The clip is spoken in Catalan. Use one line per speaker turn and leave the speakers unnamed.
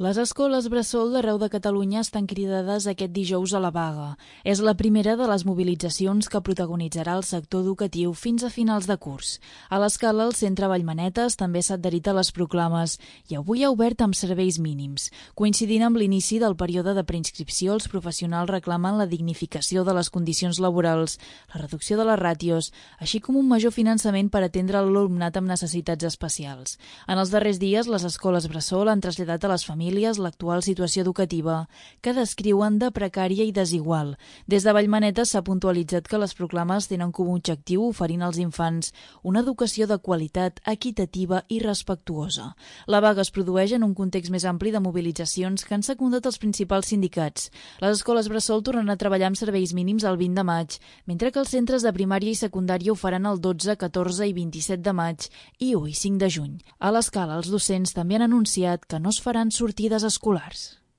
Les escoles bressol d'arreu de Catalunya estan cridades aquest dijous a la vaga. És la primera de les mobilitzacions que protagonitzarà el sector educatiu fins a finals de curs. A l'Escala, el centre Vallmanetes també s'ha adherit a les proclames i avui ha obert amb serveis mínims. Coincidint amb l'inici del període de preinscripció, els professionals reclamen la dignificació de les condicions laborals, la reducció de les ràtios, així com un major finançament per atendre l'alumnat amb necessitats especials. En els darrers dies, les escoles bressol han traslladat a les famílies l'actual situació educativa, que descriuen de precària i desigual. Des de Vallmanetes s'ha puntualitzat que les proclames tenen com a objectiu oferir als infants una educació de qualitat, equitativa i respectuosa. La vaga es produeix en un context més ampli de mobilitzacions que han secundat els principals sindicats. Les escoles bressol tornen a treballar amb serveis mínims el 20 de maig, mentre que els centres de primària i secundària ho faran el 12, 14 i 27 de maig i 1 i 5 de juny. A l'Escala, els docents també han anunciat que no es faran sortides escolars.